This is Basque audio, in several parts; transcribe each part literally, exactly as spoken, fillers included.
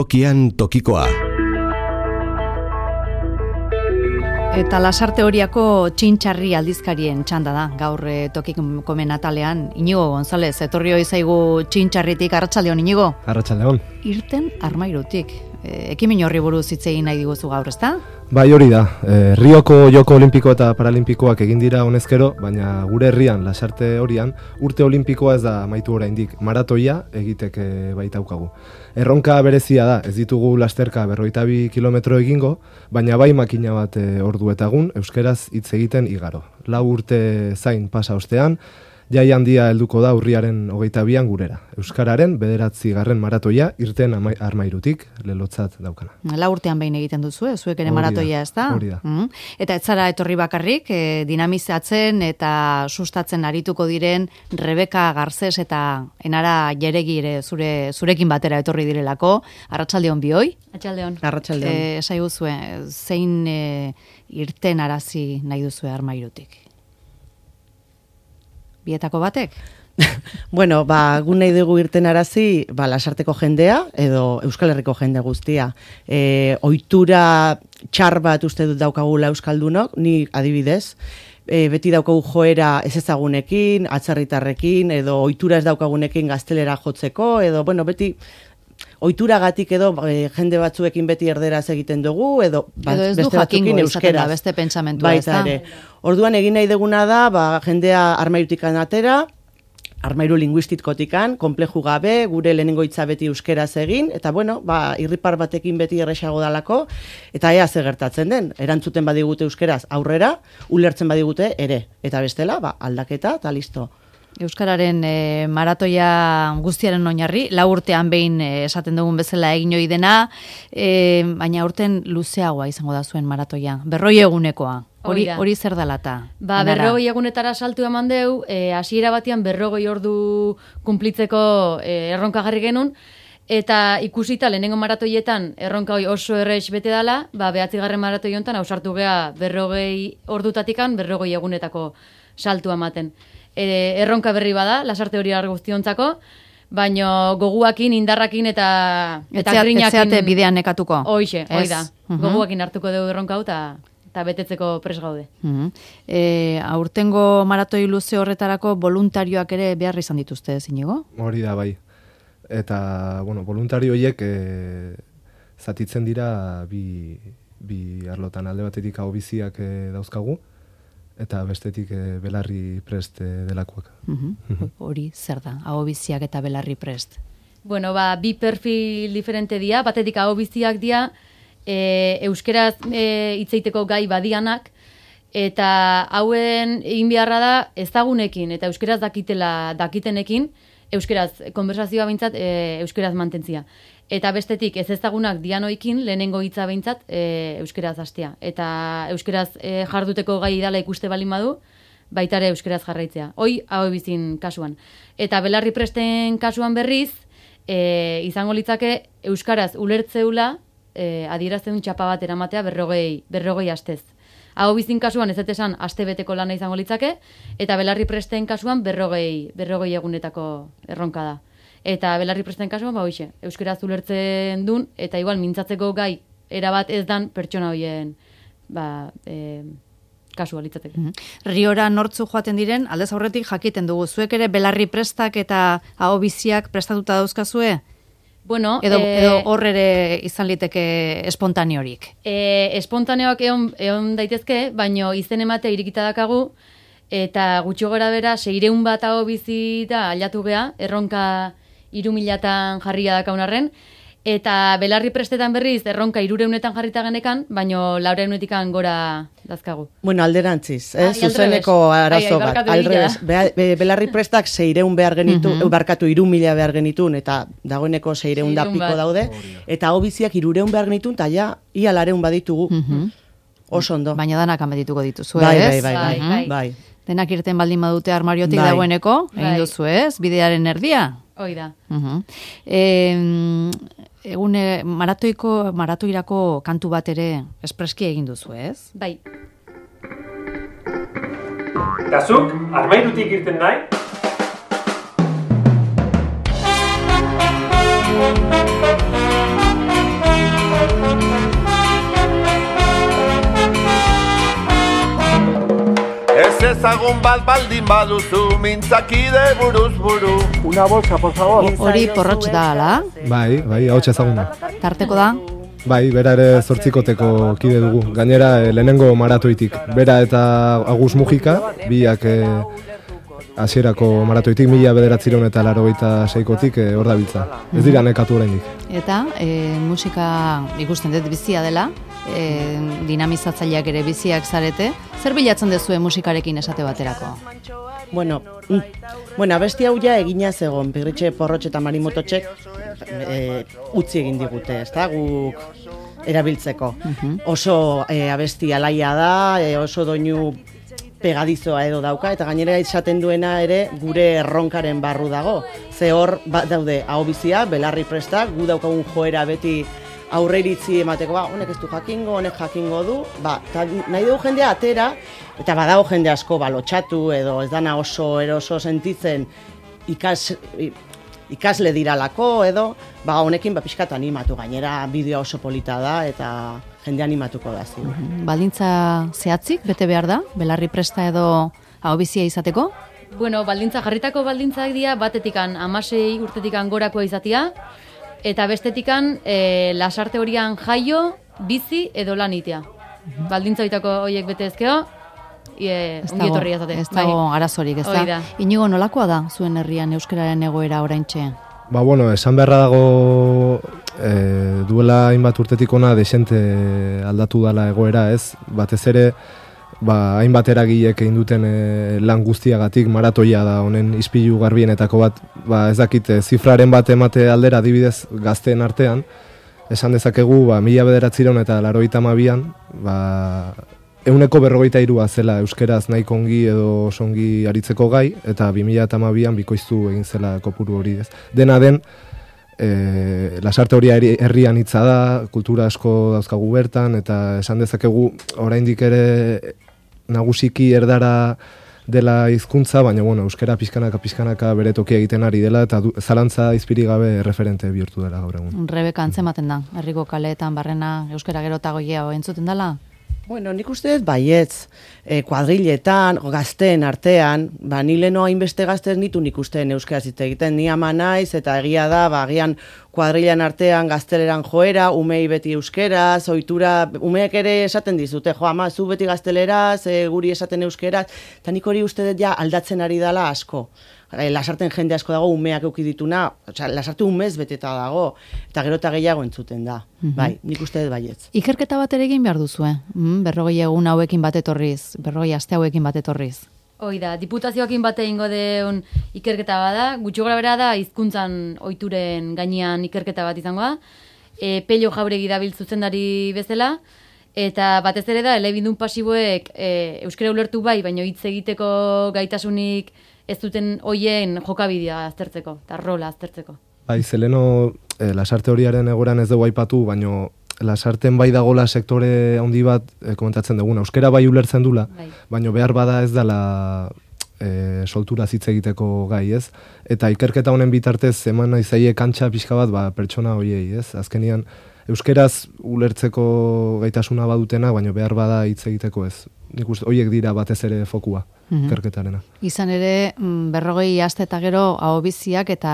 Tokian tokikoa. Eta Lasarte Horiako txintxarri aldizkarien txanda da, gaur tokikomen atalean. Inigo González, etorri hoi zaigu txintxarritik, arratsaldeon Inigo? Arratsaldeon. Irten Armairutik. E, ekimen horri buruz hitz egin nahi diguzu gaur, ezta? Bai, hori da. E, Rioko Joko Olimpiko eta Paralimpikoak egin dira honezkero, baina gure herrian, Lasarte Horian, urte olimpikoa ez da amaitu oraindik. Maratoia egiteke baitaukagu. Erronka berezia da, ez ditugu lasterka berrogeita bi kilometro egingo, baina bai makina bat e, ordu eta egun euskeraz hitz egiten igaro. Lau urte zain pasa ostean, jai handia helduko da urriaren hogeita bian gurera. Euskararen bederatzi garren maratoia Irten Armairutik lelotzat daukana. Lau urtean behin egiten duzu, eh? Zuek ere maratoia, ez da? Hori da. Mm. Eta ez zara etorri bakarrik, eh, dinamizatzen eta sustatzen arituko diren Rebeka Garzes eta Enara Jeregi ere zure, zurekin batera etorri direlako. Arratsaldeon bioi? Arratsaldeon. Arratsaldeon. Eh, Esaiguzue, zein eh, irten arazi nahi duzue Armairutik? Bietako batek? Bueno, ba, gu nahi dugu irten arazi, ba, Lasarteko jendea, edo Euskal Herriko jende guztia. E, ohitura txar bat uste dut daukagula euskaldunok, ni adibidez, e, beti daukagu joera ez ezagunekin, atzerritarrekin, edo ohitura ez daukagunekin gaztelera jotzeko, edo, bueno, beti ohituragatik edo e, jende batzuekin beti erderaz egiten dugu, edo, ba, edo ez beste du batzuekin jakingo euskeraz. Da, beste pentsamentua, ez da? Orduan egin nahi duguna da, ba, jendea Armairutikan atera, Armairu linguistikotikan, konpleju gabe, gure lehenengo hitza beti euskeraz egin, eta bueno, ba, irripar batekin beti erresago dalako, eta ea ze gertatzen den, erantzuten badigute euskeraz aurrera, ulertzen badigute ere, eta bestela, ba, aldaketa, eta listo. Euskararen e, maratoia guztiaren oinarri, lau urtean behin e, esaten dugun bezala egin ohi dena, e, baina urten luzeagoa izango da zuen maratoia, berroi egunekoa. Hori, hori zer dalata? Ba, berrogei egunetara saltu eman deu, e, hasiera batean berrogei ordu kunplitzeko e, erronka jarri genuen, eta ikusita lehenengo maratoietan erronka hori oso errex bete dela, ba, behatzigarren maratoi honetan ausartu gea berrogei ordutatikan berrogei egunetako saltu ematen. E, erronka berri bada, Lasarte Horia guztiontzako, baino goguakin, indarrakin eta eta grinakin. Etzeate bidean nekatuko. Hoixe, hoi da. Uh-huh. Goguakin hartuko dugu erronka hau, eta eta betetzeko pres gaude. Uh-huh. E, aurtengo maratoi luze horretarako voluntarioak ere behar izan dituzte, Inigo? Hori da, bai. Eta, bueno, voluntario horiek e, zatitzen dira bi, bi arlotan, alde batetik hau biziak e, dauzkagu, eta bestetik e, belarri prest e, delakoak. Uh-huh. Hori zer da, hau biziak eta belarri prest? Bueno, ba, bi perfil diferente dira, batetik hau biziak dira, E, euskeraz e, hitzeiteko gai badianak, eta hauen egin beharra da ezagunekin eta euskeraz dakitela dakitenekin, euskeraz konversazioa behintzat e, euskeraz mantentzia. Eta bestetik ez ezagunak dianoikin lehenengo hitza behintzat e, euskeraz hastea. Eta euskeraz e, jarduteko gai dela ikuste balin badu, baita ere euskeraz jarraitzea. Hoi hau bizin kasuan. Eta belarri presten kasuan berriz, e, izango litzake euskaraz ulertzeula, E, adierazten txapa bat eramatea berrogei, berrogei astez. Hau bizin kasuan ez etesan aste beteko lana izango litzake, eta belarri presten kasuan berrogei, berrogei egunetako erronka da. Eta belarri presten kasuan, ba hoixe, euskeraz ulertzen dun, eta igual mintzatzeko gai erabat ez dan pertsona hoien ba, e, kasua litzateke. Mm-hmm. Riora nortzu joaten diren, aldez aurretik jakiten dugu, zuek ere belarri prestak eta hau biziak prestatuta dauzkazue? Bueno, edo, e, edo hor ere izan liteke espontaneorik. E, espontaneoak egon, egon daitezke, baino izen ematea irikita dakagu, eta gutxo gora bera, seireun bat hau bizi da aldatu gea, erronka hiru milatan jarria dakaunarren, eta belarri prestetan berriz, erronka hirureunetan jarrita genekan, baino laureunetan gora dazkagu. Bueno, alderantziz, eh? Zuzeneko arazo bat. Aldrebes, be, be, belarri prestak seireun behar genitu, uh-huh. barkatu hiru mila behar genitun, eta dagoeneko seireun da piko daude, eta hobiziak hirureun behar genitun, eta ja, ia lareun baditugu. Uh-huh. Oso ondo. Baina danak amadituko dituzu, bai, ez? Bai, bai, bai, bai, bai. Denak irten baldin badute armariotik bai. Dagoeneko, egin duzu, ez? Bidearen erdia. Hoi da. Uh-huh. E, egune maratoiko, maratoirako kantu bat ere espreski egin duzu, ez? Bai. Eta zuk, Armairutik irten nahi? ezagun bat baldin baduzu, mintzakide buruz buru. Una bolsa, por favor. Hori porrotx da, ala? Bai, bai, ahots ezaguna. Tarteko da? Bai, bera ere zortzikoteko kide dugu. Gainera, eh, lehenengo maratoitik. Bera eta Agus Mujika, biak eh, hasierako maratoitik, mila bederatzireun eta larogeita seikotik eh, hor dabiltza. Ez dira nekatu oraindik. Eta e, musika ikusten dut bizia dela, e, dinamizatzaileak ere biziak zarete. Zer bilatzen dezue musikarekin esate baterako? Bueno, mm, bueno, abesti hau ja egina zegon, Pirritxe Porrotx eta Marimototxek e, utzi egin digute, ezta guk erabiltzeko. Oso e, abesti alaia da, e, oso doinu pegadizoa edo dauka, eta gainera izaten duena ere gure erronkaren barru dago. Ze hor ba, daude ahobizia, belarri prestak, gu daukagun joera beti aurreiritzi emateko, ba, honek ez du jakingo, honek jakingo du, ba, ta, nahi dugu jendea atera, eta badago jende asko balotxatu edo ez dana oso eroso sentitzen ikas, ikasle diralako edo, ba, honekin ba, pixkat animatu, gainera bideoa oso polita da eta jende animatuko da ziur. Baldintza zehatzik, bete behar da, belarri presta edo ahobizia izateko? Bueno, baldintza, jarritako baldintzak dira, batetikan amasei urtetikan gorakoa izatea, eta bestetikan e, lasarte horian jaio, bizi edo lan itea. Baldintza bitako horiek bete ezkeo, e, ongi etorri azate. Ez dago arazorik, ez da. Inigo, nolakoa da zuen herrian euskararen egoera oraintxe? Ba, bueno, esan beharra dago e, duela hainbat urtetik ona desente aldatu dala egoera, ez? Batez ere, ba, hainbat eragilek egin duten e, lan guztiagatik maratoia da honen ispilu garbienetako bat, ba, ez dakit, e, zifraren bat emate aldera adibidez gazteen artean, esan dezakegu, ba, mila bederatzireun eta larogeita hamabian, ba, ehuneko berrogeita hirua zela euskeraz nahiko ongi edo osongi aritzeko gai, eta bi mila hamabian bikoiztu egin zela kopuru hori, ez. Dena den, e, lasarte hori herrian hitza da, kultura asko dauzkagu bertan, eta esan dezakegu oraindik ere nagusiki erdara dela hizkuntza, baina bueno, euskera pizkanaka pizkanaka bere tokia egiten ari dela eta du, zalantza izpiri gabe referente bihurtu dela gaur egun. Rebeka antzematen da, herriko kaleetan barrena euskera gero eta gehiago entzuten dela? Bueno, nik uste dut baietz, e, kuadriletan, gazteen artean, ba, ni leno hainbeste gaztez nitu nik ustean euskaraz hitz egiten, ni ama naiz, eta egia da, ba, agian kuadrilan artean gazteleran joera, umei beti euskeraz, ohitura, umeek ere esaten dizute, jo, ama, zu beti gazteleraz, e, guri esaten euskeraz, eta nik hori uste dut ja aldatzen ari dela asko. Lasarten jende asko dago, umeak euki dituna, osea, lasarte umez beteta dago, eta gero eta gehiago entzuten da. Mm-hmm. Bai, nik uste dut baietz. Ikerketa bat ere egin behar duzue, mm, berrogei egun hauekin bat etorriz, berrogei aste hauekin bat etorriz. Hoi da, diputazioakin bate ingo deun ikerketa bada, gutxi gora bera da, hizkuntzan ohituren gainean ikerketa bat izango da, e, Pello Jauregi dabil zuzendari bezala, eta batez ere da, elebindun pasiboek e, euskara ulertu bai, baina hitz egiteko gaitasunik ez duten hoien jokabidea aztertzeko, eta rola aztertzeko. Bai, zeleno e, lasarte horiaren egoran ez dugu aipatu, baina lasarten bai dagola sektore handi bat e, komentatzen duguna. Euskera bai ulertzen dula, bai. Baina behar bada ez dela e, soltura hitz egiteko gai, ez? Eta ikerketa honen bitartez eman nahi zaie kantxa pixka bat ba, pertsona hoiei, ez? Azkenian euskeraz ulertzeko gaitasuna badutena, baina behar bada hitz egiteko ez. Nik uste, horiek dira batez ere fokua, mm-hmm. ikerketarena. Izan ere, berrogei aste eta gero ahobiziak eta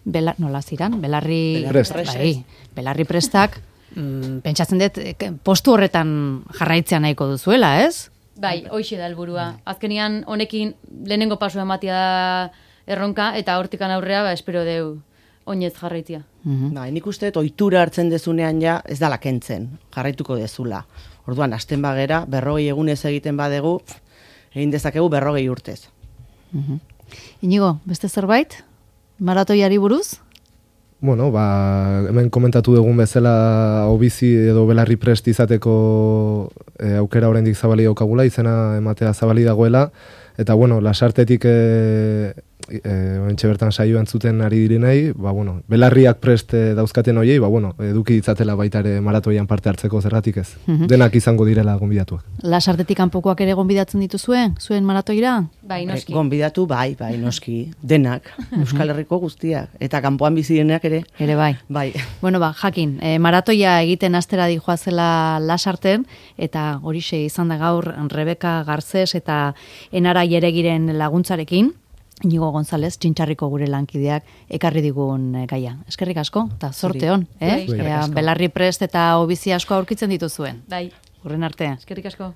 bela, nola ziran, belarri, Prest. bai, belarri prestak, mm, pentsatzen dut, postu horretan jarraitzea nahiko duzuela, ez? Bai, hoixe da helburua. Azkenian honekin lehenengo pasu ematia erronka, eta hortikan aurrea, ba, espero deu oinez jarraitzia. Mm-hmm. Bai, nik uste dut ohitura hartzen dezunean ja ez dala kentzen, jarraituko dezula. Orduan, hasten bagera, berrogei egunez egiten badegu, egin dezakegu berrogei urtez. Mm-hmm. Inigo, beste zerbait? Maratoiari buruz? Bueno, ba, hemen komentatu dugun bezala hobizi edo belarri prest izateko e, aukera oraindik zabali daukagula, izena ematea zabali dagoela, eta bueno, lasartetik e, e, oentxe bertan saio entzuten ari direnei, ba, bueno, belarriak prest e, dauzkaten hoiei, ba, bueno, eduki ditzatela baita ere maratoian parte hartzeko zergatik ez. Mhm. Denak izango direla gonbidatuak. Lasartetik kanpokoak ere gonbidatzen dituzue, zuen maratoira? Bai, noski. Gonbidatu, bai, bai, noski, denak, Euskal Herriko guztiak, eta kanpoan bizi denak ere, Ere bai. bai. Bueno, ba, jakin, e, maratoia egiten astera dijoazela Lasarten, eta horixe izan da gaur Rebeka Garzes eta Enara Jeregiren laguntzarekin, Inigo González, Txintxarriko gure lankideak, ekarri digun eh, gaia. Eskerrik asko, eta zorte hon, eh? Bai, eskerrik Ea, asko. belarri prest eta obizi asko aurkitzen dituzuen. Bai, Urren arte. eskerrik asko.